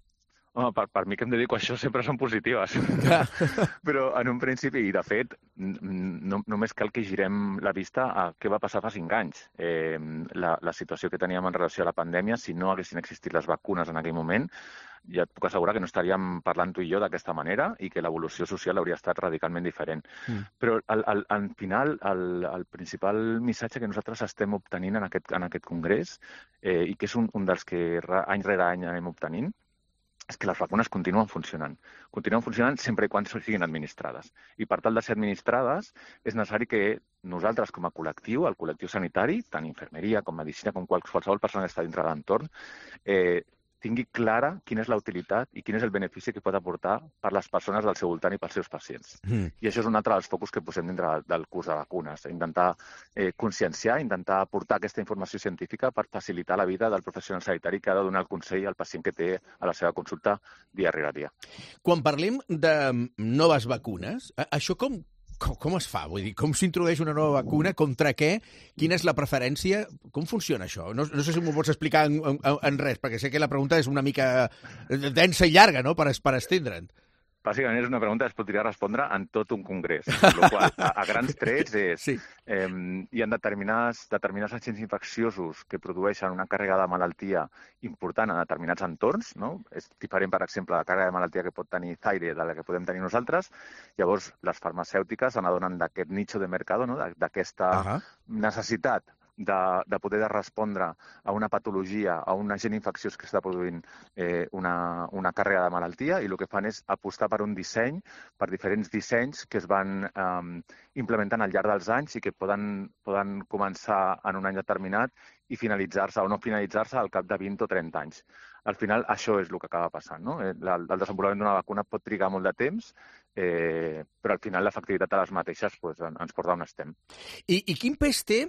Home, per mi que em dedico a això sempre són positives. Però en un principi, i de fet, només cal que girem la vista a què va passar fa 5 anys. La situació que teníem en relació a la pandèmia, si no haguessin existit les vacunes en aquell moment, ja et puc assegurar que no estaríem parlant tu i jo d'aquesta manera i que l'evolució social hauria estat radicalment diferent. Però al final, el principal missatge que nosaltres estem obtenint en aquest congrés, i que és un dels que any rere any anem obtenint, és que les vacunes continuen funcionant. Continuen funcionant sempre i quan siguin administrades. I per tal de ser administrades, és necessari que nosaltres, com a col·lectiu, el col·lectiu sanitari, tant infermeria com medicina, com qualsevol persona que està dintre de l'entorn, tingui clara quina és la utilitat i quin és el benefici que pot aportar per les persones del seu voltant i pels seus pacients. I això és un altre dels focus que posem dintre del curs de vacunes. Intentar conscienciar, intentar aportar aquesta informació científica per facilitar la vida del professional sanitari que ha de donar el consell al pacient que té a la seva consulta dia rere dia. Quan parlem de noves vacunes, això com es fa? Vull dir, com s'introdueix una nova vacuna? Contra què? Quina és la preferència? Com funciona això? No sé si m'ho pots explicar en res, perquè sé que la pregunta és una mica densa i llarga, no?, per estendre'n. Bàsicament és una pregunta que es podria respondre en tot un congrés, el qual, a grans trets, és hi ha determinats agents infecciosos que produeixen una càrrega de malaltia important en determinats entorns, no? És diferent, per exemple, la càrrega de malaltia que pot tenir Zaire de la que podem tenir nosaltres. Llavors, les farmacèutiques s'adonen d'aquest nicho de mercat, no? D'aquesta necessitat de poder respondre a una patologia, a un agent infecciós que està produint una càrrega de malaltia, i el que fan és apostar per un disseny, per diferents dissenys que es van implementant al llarg dels anys i que poden començar en un any determinat i finalitzar-se o no finalitzar-se al cap de 20 o 30 anys. Al final, això és el que acaba passant, no? El desenvolupament d'una vacuna pot trigar molt de temps, però al final l'efectivitat de les mateixes ens porta on estem. I quin pes té,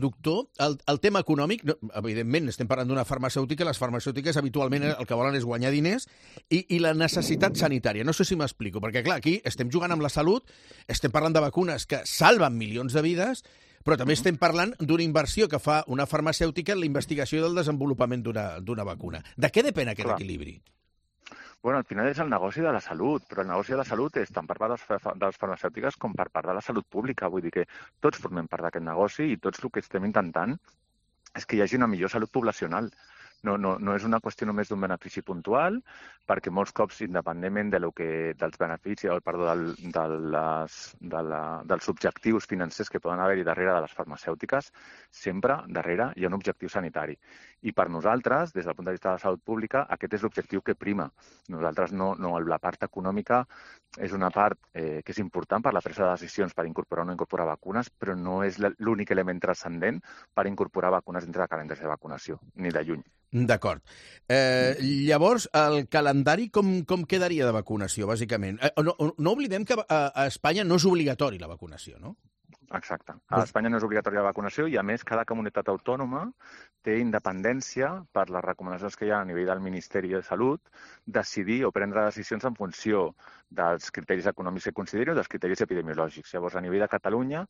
doctor, el tema econòmic? Evidentment, estem parlant d'una farmacèutica, les farmacèutiques habitualment el que volen és guanyar diners, i la necessitat sanitària. No sé si m'explico, perquè clar, aquí estem jugant amb la salut, estem parlant de vacunes que salven milions de vides, però també estem parlant d'una inversió que fa una farmacèutica en la investigació i el desenvolupament d'una vacuna. De què depèn aquest equilibri? Bueno, al final és el negoci de la salut, però el negoci de la salut és tant per part de les farmacèutiques com per part de la salut pública. Vull dir que tots formem part d'aquest negoci i tots el que estem intentant és que hi hagi una millor salut poblacional. No és una qüestió només d'un benefici puntual, perquè molts cops, independentment dels beneficis, dels objectius financers que poden haver-hi darrere de les farmacèutiques, sempre darrere hi ha un objectiu sanitari. I per nosaltres, des del punt de vista de la salut pública, aquest és l'objectiu que prima. Nosaltres la part econòmica és una part que és important per la presa de decisions per incorporar o no incorporar vacunes, però no és l'únic element transcendent per incorporar vacunes dintre de calendari de vacunació, ni de lluny. D'acord. Llavors, el calendari com quedaria de vacunació, bàsicament? No oblidem que a Espanya no és obligatori la vacunació, no? Exacte. A Espanya no és obligatòria la vacunació i, a més, cada comunitat autònoma té independència per les recomanacions que hi ha a nivell del Ministeri de Salut decidir o prendre decisions en funció dels criteris econòmics que consideri o dels criteris epidemiològics. Llavors, a nivell de Catalunya,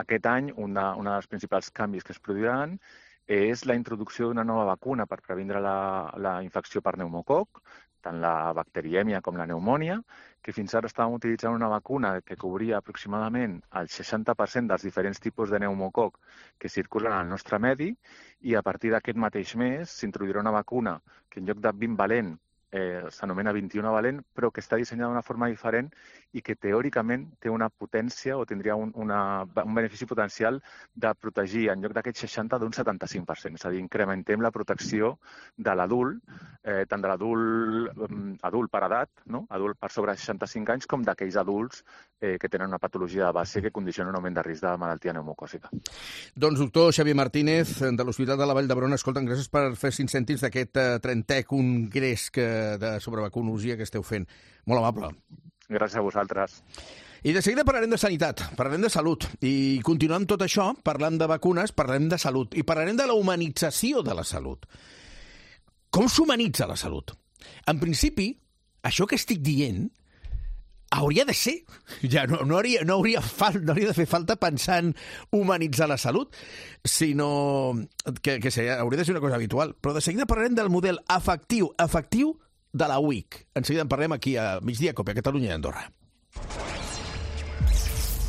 aquest any, un dels principals canvis que es produiran és la introducció d'una nova vacuna per previndre la infecció per pneumococ, tant la bacterièmia com la pneumònia, que fins ara estàvem utilitzant una vacuna que cobria aproximadament el 60% dels diferents tipus de pneumococ que circulen al nostre medi, i a partir d'aquest mateix mes s'introduirà una vacuna que en lloc de 20 valent s'anomena 21 valent, però que està dissenyada d'una forma diferent i que teòricament té una potència o tindria un benefici potencial de protegir en lloc d'aquest 60 d'un 75%. És a dir, incrementem la protecció de l'adult, tant de l'adult per edat, no? Adult per sobre 65 anys, com d'aquells adults que tenen una patologia de base que condiciona un augment de risc de malaltia pneumocòcica. Doncs, doctor Xavier Martínez, de l'Hospital de la Vall d'Hebron, escolta'm, gràcies per fer 5 cèntims d'aquest 30è congrés sobre vacunologia que esteu fent. Molt amable. Gràcies a vosaltres. I de seguida parlarem de sanitat, parlarem de salut. I continuant tot això, parlant de vacunes, parlarem de salut. I parlarem de la humanització de la salut. Com s'humanitza la salut? En principi, això que estic dient hauria de ser. Ja no hauria de fer falta pensar en humanitzar la salut, sinó que hauria de ser una cosa habitual. Però de seguida parlarem del model afectiu de la UIC. En seguida en parlem aquí a Migdia Cope, a Catalunya i Andorra.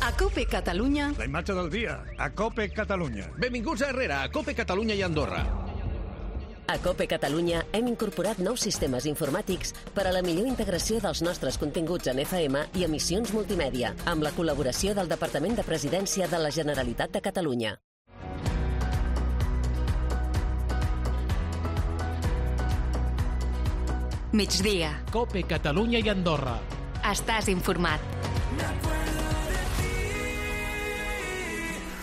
A Cope Catalunya... La imatge del dia, a Cope Catalunya. Benvinguts a Herrera, a Cope Catalunya i Andorra. A Cope Catalunya hem incorporat nous sistemes informàtics per a la millor integració dels nostres continguts en FM i emissions multimèdia, amb la col·laboració del Departament de Presidència de la Generalitat de Catalunya. Migdia. Cope Catalunya i Andorra. Estàs informat.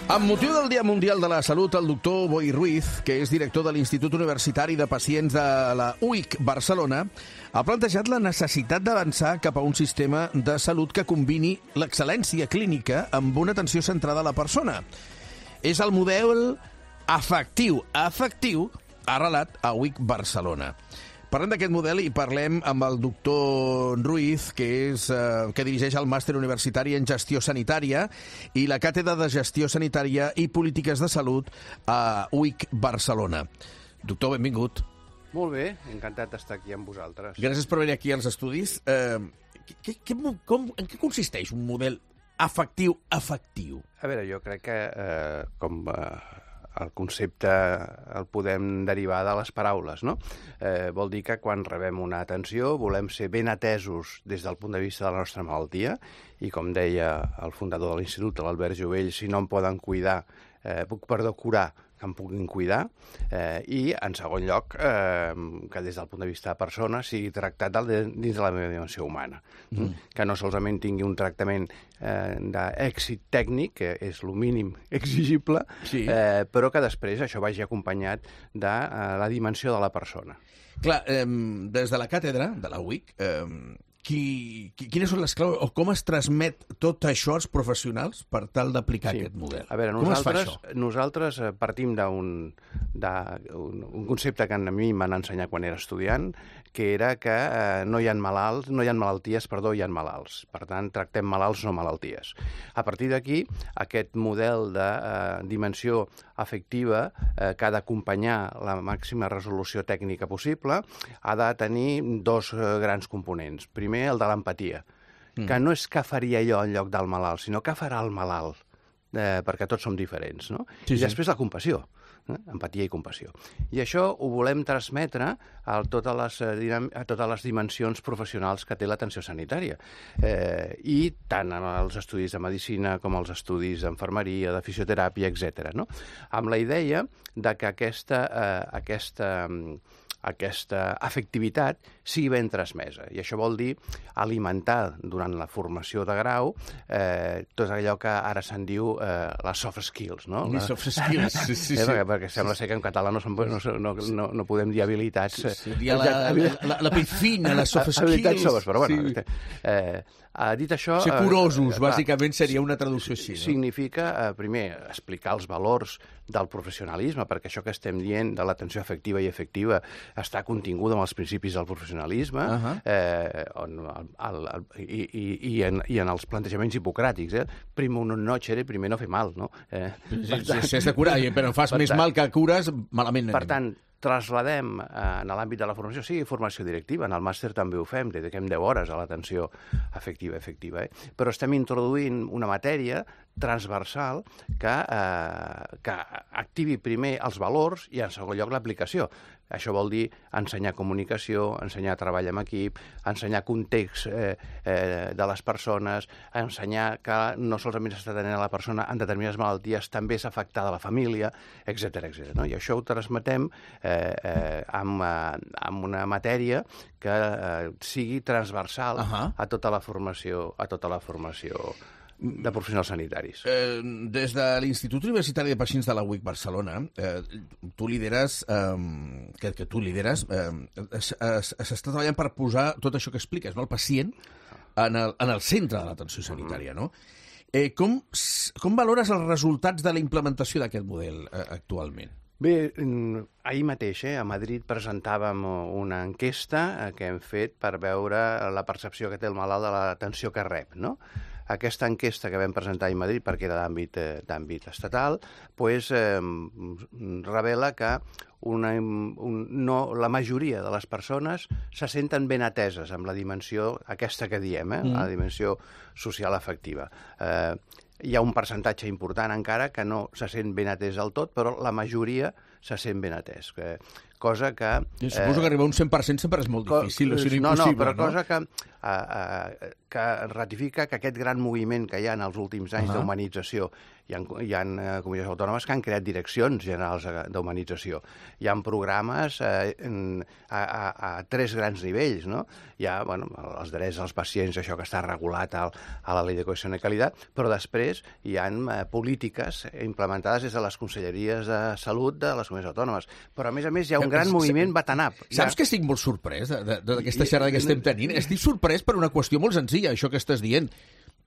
Amb motiu del Dia Mundial de la Salut, el doctor Boi Ruiz, que és director de l'Institut Universitari de Pacients de la UIC Barcelona, ha plantejat la necessitat d'avançar cap a un sistema de salut que combini l'excel·lència clínica amb una atenció centrada a la persona. És el model afectiu arrelat a UIC Barcelona. Parlem d'aquest model i parlem amb el doctor Ruiz, que dirigeix el màster universitari en gestió sanitària i la càtedra de gestió sanitària i polítiques de salut a UIC Barcelona. Doctor, benvingut. Molt bé, encantat d'estar aquí amb vosaltres. Gràcies per venir aquí als estudis. En què consisteix un model afectiu? A veure, jo crec que el concepte el podem derivar de les paraules, no? Vol dir que quan rebem una atenció volem ser ben atesos des del punt de vista de la nostra malaltia i, com deia el fundador de l'Institut, l'Albert Jovell, si no em poden cuidar, curar, que em puguin cuidar, i, en segon lloc, que des del punt de vista de persona sigui tractat dins de la meva dimensió humana. Que no solament tingui un tractament d'èxit tècnic, que és el mínim exigible, però que després això vagi acompanyat de la dimensió de la persona. Clar, des de la càtedra de la UIC, quines són les claus o com es transmet tot això als professionals per tal d'aplicar aquest model? A veure, nosaltres partim d'un concepte que a mi m'han ensenyat quan era estudiant, que era que no hi ha malalties, hi ha malalts. Per tant, tractem malalts, no malalties. A partir d'aquí, aquest model de dimensió afectiva que ha d'acompanyar la màxima resolució tècnica possible ha de tenir dos grans components. Primer, el de l'empatia, que no és què faria jo en lloc del malalt, sinó què farà el malalt, perquè tots som diferents, no? I després la compassió, empatia i compassió. I això ho volem transmetre a totes les dimensions professionals que té l'atenció sanitària. I tant en els estudis de medicina com els estudis d'enfermeria, de fisioteràpia, etc. Amb la idea de que aquesta afectivitat sigui ben transmesa. I això vol dir alimentar durant la formació de grau tot allò que ara se'n diu les soft skills, no? Les soft skills, sí. Perquè sembla ser que en català no podem dir habilitats. Seria la piscina, les soft skills. Habilitats soft, però bueno. Dit això... Ser curosos, bàsicament, seria una traducció així, no? Significa, primer, explicar els valors del professionalisme, perquè això que estem dient de l'atenció afectiva i efectiva està continguda en els principis del professionalisme i en els plantejaments hipocràtics. Primo non nocere, primer no fer mal, no? Si has de curar, però fas més mal que cures, malament. Per tant, trasladem en l'àmbit de la formació, sigui formació directiva, en el màster també ho fem, dediquem 10 hores a l'atenció afectiva, però estem introduint una matèria transversal que activi primer els valors i en segon lloc l'aplicació. Això vol dir ensenyar comunicació, ensenyar treball en equip, ensenyar context de les persones, ensenyar que no solament s'està tenint a la persona en determinades malalties, també és afectada la família, etc. I això ho transmetem amb una matèria que sigui transversal a tota la formació de professionals sanitaris. Des de l'Institut Universitari de Pacients de la UIC Barcelona, tu lideres, s'està treballant per posar tot això que expliques, no? El pacient en el centre de l'atenció sanitària, no? Com valores els resultats de la implementació d'aquest model actualment? Bé, ahir mateix a Madrid presentàvem una enquesta que hem fet per veure la percepció que té el malalt de l'atenció que rep, no? Aquesta enquesta que vam presentar a Madrid, perquè era d'àmbit estatal, revela que la majoria de les persones se senten ben ateses amb la dimensió aquesta que diem, la dimensió social afectiva. Hi ha un percentatge important encara que no se sent ben atès del tot, però la majoria se sent ben atès. Cosa que... Suposo que arribar a un 100% sempre és molt difícil, o sigui, impossible, no? Però cosa que ratifica que aquest gran moviment que hi ha en els últims anys d'humanització, hi ha comunitats autònomes que han creat direccions generals d'humanització. Hi ha programes a 3 grans nivells, no? Hi ha els drets dels pacients, això que està regulat a la Llei de Cohesión y Calidad, però després hi ha polítiques implementades des de les conselleries de salut de les comunitats autònomes. Però, a més, hi ha un gran moviment bot-and-up. Saps que estic molt sorprès d'aquesta xerrada que estem tenint? Estic sorprès per una qüestió molt senzilla, això que estàs dient.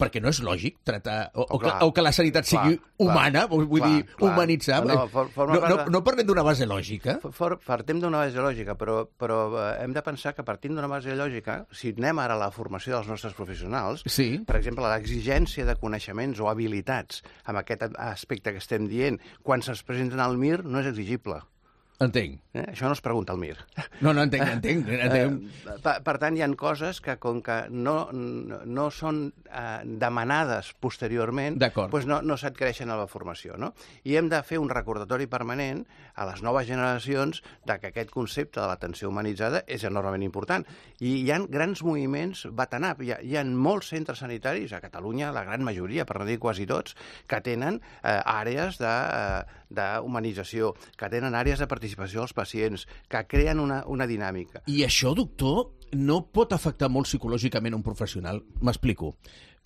Perquè no és lògic tratar... O que la sanitat sigui humana, vull dir, humanitzar. No parlem d'una base lògica. Partim d'una base lògica, però hem de pensar que partim d'una base lògica, si anem ara a la formació dels nostres professionals, per exemple, l'exigència de coneixements o habilitats amb aquest aspecte que estem dient, quan se'ls presenten al MIR, no és exigible. Entenc. Això no es pregunta al MIR. No, entenc. Per tant, hi ha coses que, com que no són demanades posteriorment, doncs no s'adquireixen a la formació, no? I hem de fer un recordatori permanent a les noves generacions que aquest concepte de l'atenció humanitzada és enormement important. I hi ha grans moviments bot-and-up. Hi ha molts centres sanitaris, a Catalunya, la gran majoria, per no dir quasi tots, que tenen àrees d'humanització, que tenen àrees de participació dels pacients, que creen una dinàmica. I això, doctor, no pot afectar molt psicològicament un professional? M'explico.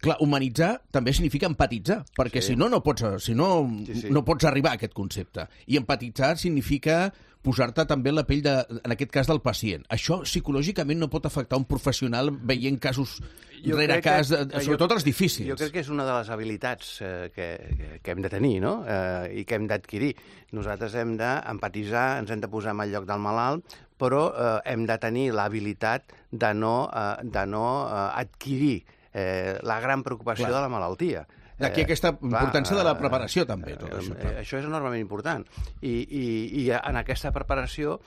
Clar, humanitzar també significa empatitzar, perquè si no pots arribar a aquest concepte. I empatitzar significa posar-te també en la pell, en aquest cas, del pacient. Això psicològicament no pot afectar un professional veient casos rere cas, sobretot els difícils. Jo crec que és una de les habilitats que hem de tenir, no? I que hem d'adquirir. Nosaltres hem d'empatitzar, ens hem de posar en el lloc del malalt, però hem de tenir l'habilitat de no adquirir la gran preocupació de la malaltia. D'aquí aquesta importància de la preparació, també. Tot això, això és enormement important. I en aquesta preparació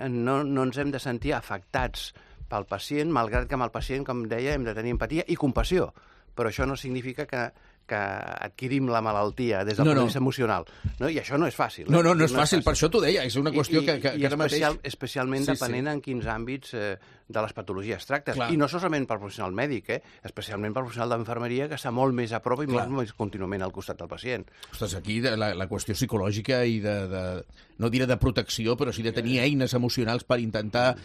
no ens hem de sentir afectats pel pacient, malgrat que amb el pacient, com deia, hem de tenir empatia i compassió. Però això no significa que adquirim la malaltia des del punt de vista emocional. I això no és fàcil. No és fàcil, per això t'ho deia, és una qüestió que ara mateix... Especialment depenent en quins àmbits de les patologies tractes. I no solament per professional mèdic, especialment per professional d'infermeria, que està molt més a prop i molt més contínuament al costat del pacient. Ostres, aquí la qüestió psicològica i no diré de protecció, però sí de tenir eines emocionals per intentar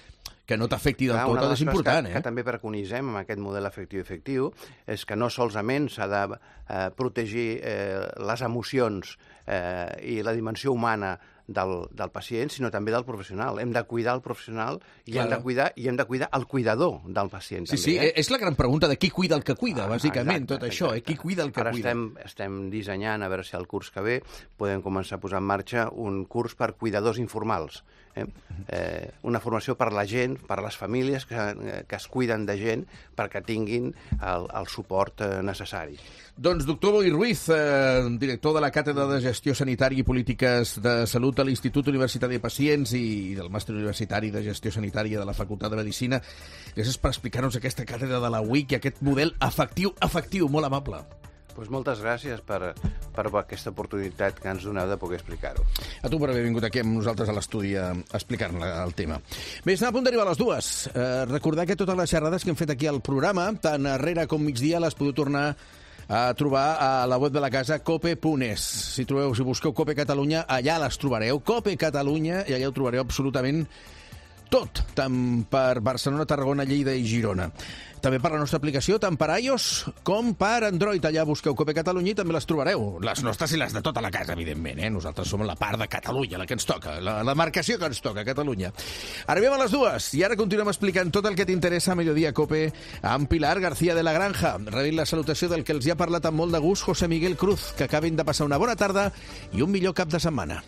que no t'afecti del tot, és important. Que també preconitzem amb aquest model afectiu és que no solament s'ha de protegir les emocions i la dimensió humana del pacient, sinó també del professional. Hem de cuidar el professional i hem de cuidar el cuidador del pacient. Sí, és la gran pregunta de qui cuida el que cuida, bàsicament, tot això, qui cuida el que cuida. Ara estem dissenyant, a veure si el curs que ve podem començar a posar en marxa un curs per cuidadors informals. Una formació per la gent, per les famílies que es cuiden de gent perquè tinguin el suport necessari. Doncs doctor Boi Ruiz, director de la Càtedra de Gestió Sanitària i Polítiques de Salut de l'Institut Universitari de Pacients i del Màster Universitari de Gestió Sanitària de la Facultat de Medicina, gràcies per explicar-nos aquesta càtedra de la UIC i aquest model afectiu, molt amable. Doncs moltes gràcies per aquesta oportunitat que ens doneu de poder explicar-ho. A tu per haver vingut aquí amb nosaltres a l'estudi a explicar-ne el tema. Bé, estem a punt d'arribar a les 2. Recordar que totes les xerrades que hem fet aquí al programa, tant arrere com migdia, les podeu tornar a trobar a la web de la casa cope.es. Si busqueu Cope Catalunya, allà les trobareu. Cope Catalunya, i allà ho trobareu absolutament tot, tant per Barcelona, Tarragona, Lleida i Girona. També per la nostra aplicació, tant per iOS com per Android. Allà busqueu Cope Catalunya i també les trobareu. Les nostres i les de tota la casa, evidentment. Nosaltres som la part de Catalunya, la que ens toca, la marcació que ens toca, Catalunya. Arribem a les 2 i ara continuem explicant tot el que t'interessa a Mediodía Cope amb Pilar García de la Granja. Rebin la salutació del que els hi ha parlat amb molt de gust José Miguel Cruz. Que acabin de passar una bona tarda i un millor cap de setmana.